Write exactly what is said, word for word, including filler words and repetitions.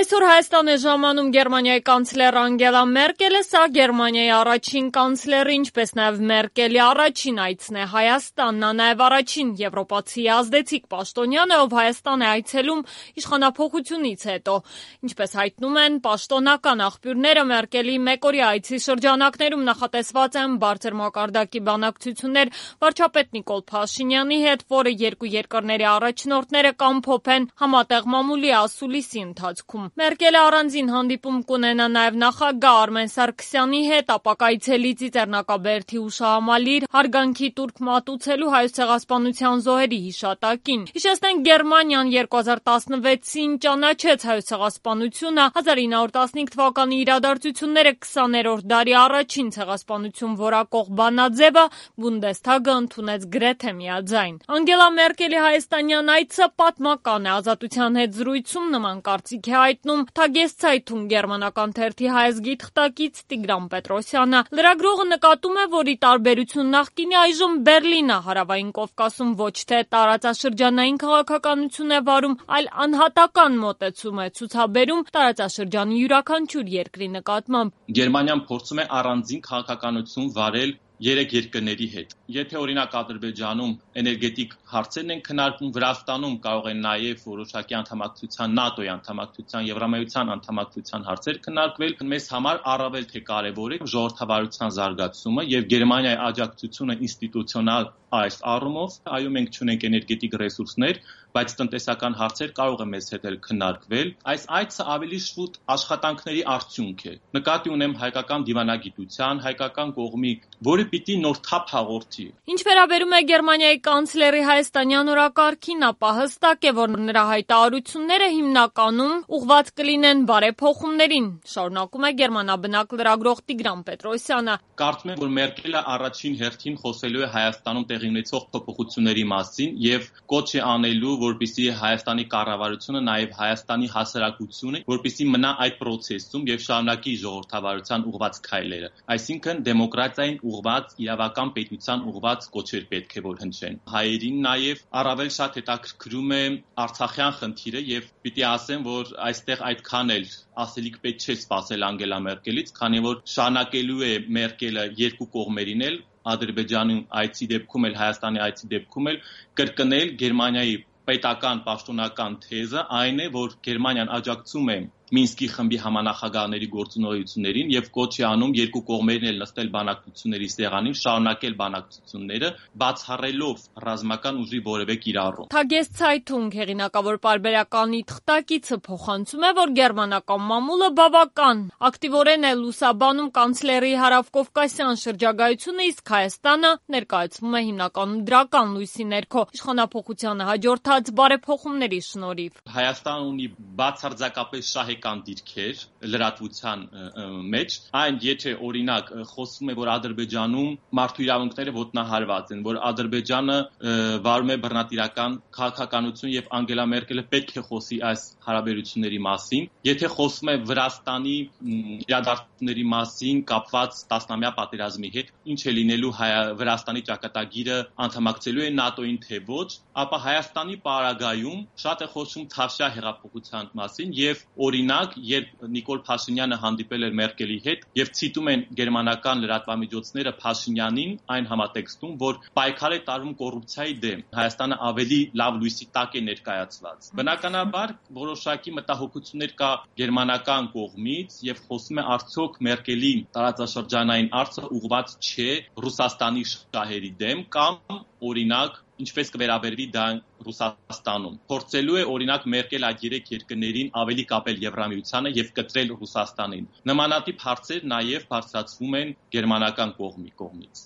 Այսօր Հայաստան է ժամանում Գերմանիայի կանցլեր Անգելա Մերկելը, սա Գերմանիայի առաջին կանցլերը, ինչպես նաև Մերկելի առաջին այցն է Հայաստան, նա նաև առաջին եվրոպացի ազդեցիկ պաշտոնյանը, ով Հայաստան է այցելում իշխանափոխությունից հետո։ Ինչպես հայտնում են պաշտոնական աղբյուրները, Մերկելի մեկօրյա այցի շրջանակներում նախատեսված են բարձր մակարդակի բանակցություններ վարչապետ Նիկոլ Փաշինյանի հետ, որը երկու երկրների առաջնորդները կամփոփեն համատեղ մամուլի ասուլիսի ընթացքում։ Մերկելը առանձին հանդիպում կունենա նաև նախագահ Արմեն Սարգսյանի հետ, ապա կայցելի Ծիծեռնակաբերդի հուշահամալիր հարգանքի տուրք մատուցելու Հայոց ցեղասպանության զոհերի հիշատակին։ Հիշեցնենք, Գերմանիան երկու հազար տասնվեցին ճանաչեց Հայոց ցեղասպանությունը, հազար ինը հարյուր տասնհինգ թվականի իրադարձությունները քսաներորդ դարի առաջին ցեղասպանություն որակող բանաձևը Բունդեսթագը ընդունեց գրեթե միաձայն։ Անգելա Մերկելի հայաստանյան այցը պատմական է, Ազատության հետ զրույցում նման կարծիք է հայտնում Թագեսցայթուն գերմանական թերթի հայազգի թղթակից Տիգրան Պետրոսյանը։ Լրագրողը նկատում է, որ ի տարբերություն նախկինի, այժմ Բերլինը Հարավային Կովկասում ոչ թե տարածաշրջանային քաղաքականություն է վարում, այլ անհատական մոտեցում է ցուցաբերում տարածաշրջանի յուրաքանչյուր երկրի նկատմամբ։ Գերմանիան փորձում է առանձին քաղաքականություն վարել երեք երկրների հետ։ Եթե օրինակ Ադրբեջանում էներգետիկ հարցերն են քննարկվում, Վրաստանում կարող են նաև որոշակի անդամակցության ՆԱՏՕ-ի անդամակցության, Եվրամիության անդամակցության հարցեր քննարկվել, մեզ համար առավել թե կարևոր է ժողովրդավարության զարգացումը եւ Գերմանիայի աջակցությունը ինստիտուցիոնալ այս առումով, այո, մենք չունենք էներգետիկ ռեսուրսներ, բայց տնտեսական հարցեր կարող է մեզ հետ էլ քննարկվել։ Այս այցը ավելի շուտ աշխատանքների արդյունք է։ Նկատի ունեմ հայկական դիվանագիտության, հայկական կողմի, որը պիտի նոր թափ հաղորդի։ Ինչ վերաբերում է Գերմանիայի կանցլերի հայաստանյան օրակարգին, ապա հստակ է, որ նրա հայտարարությունները հիմնականում ուղղված կլինեն բարեփոխումներին, շարունակում է գերմանաբնակ լրագրող Տիգրան Պետրոսյանը։ Կարծում եմ, որ Մերկելը առաջին հերթին խոսելու է Հայաստանում տեղի ունեցող փոփոխությունների մասին եւ կոչ է անելու, որպեսզի Հայաստանի կառավարությունը, նաև Հայաստանի հասարակությունը, որպեսզի մնա այդ process-ում եւ շարունակի ժողովրդավարության ուղղված քայլերը։ Այսինքն դեմոկրատիային ուղղված, իրավական պետության ուղղված կոչեր պետք է որ հնչեն։ Հայերին նաև առավել շատ հետաքրքրում է Արցախյան խնդիրը եւ պիտի ասեմ, որ այստեղ այդքան էլ ասելիք պետք չէ սպասել Անգելա Մերկելից, քանի որ շարունակելու է Մերկելը երկու կողմերին էլ Ադրբեջանի այցի դեպքում էլ Հայաստանի այցի դեպքում էլ կրկնել Գերմանիայի պետական պաշտոնական թեզը, այն է, որ Գերմանիան աջակցում է Մինսկի խմբի համանախագահների գործունեություններին եւ կոչ է անում երկու կողմերին էլ նստել բանակցությունների սեղանին, շարունակել բանակցությունները, բացառելով ռազմական ուժի որևէ կիրառում։ Թագեսցայթուն հեղինակավոր պարբերականի թղթակիցը փոխանցում է, որ գերմանական մամուլը բավական ակտիվորեն է լուսաբանում կանցլերի հարավկովկասյան շրջագայությունը, իսկ Հայաստանը ներկայացվում է հիմնականում դրական լույսի ներքո իշխանափոխությանը հաջորդած բարեփոխումների շնորհիվ։ Հայաստանը ունի բացարձակապես շահ դիրքեր լրատվության մեջ, այն եթե օրինակ խոսվում է, որ Ադրբեջանում մարդու իրավունքները ոտնահարված են, որ Ադրբեջանը վարում է բռնատիրական քաղաքականություն եւ Անգելա Մերկելը պետք է խոսի այս հարաբերությունների մասին, եթե խոսվում է Վրաստանի իրադարձությունների մասին կապված տասնամյա պատերազմի հետ, ինչ է լինելու Վրաստանի ճակատագիրը անդամակցելու է ՆԱՏՕ-ին թե ոչ, ապա Հայաստանի պարագայում շատ է խոսում Թավշյա հեղափոխության մասին եւ օրինակ, երբ Նիկոլ Փաշինյանը հանդիպել էր Մերկելի հետ եւ ցիտում են գերմանական լրատվամիջոցները Փաշինյանին այն համատեքստում, որ պայքար է տարվում կոռուպցիայի դեմ, Հայաստանը ավելի լավ լույսի տակ է ներկայացված։ Բնականաբար որոշակի մտահոգություններ կա գերմանական կողմից եւ խոսում է արդյոք Մերկելի տարածաշրջանային արձը ուղղված չէ Ռուսաստանի շահերի դեմ կամ օրինակ ինչպես կվերաբերվի դա Ռուսաստանում։ Փորձելու է օրինակ Մերկել այդ երեք երկրներին ավելի կապել Եվրամիությանը եւ կտրել Ռուսաստանին։ Նմանատիպ հարցեր նաեւ բարձրացվում են գերմանական կողմի կողմից։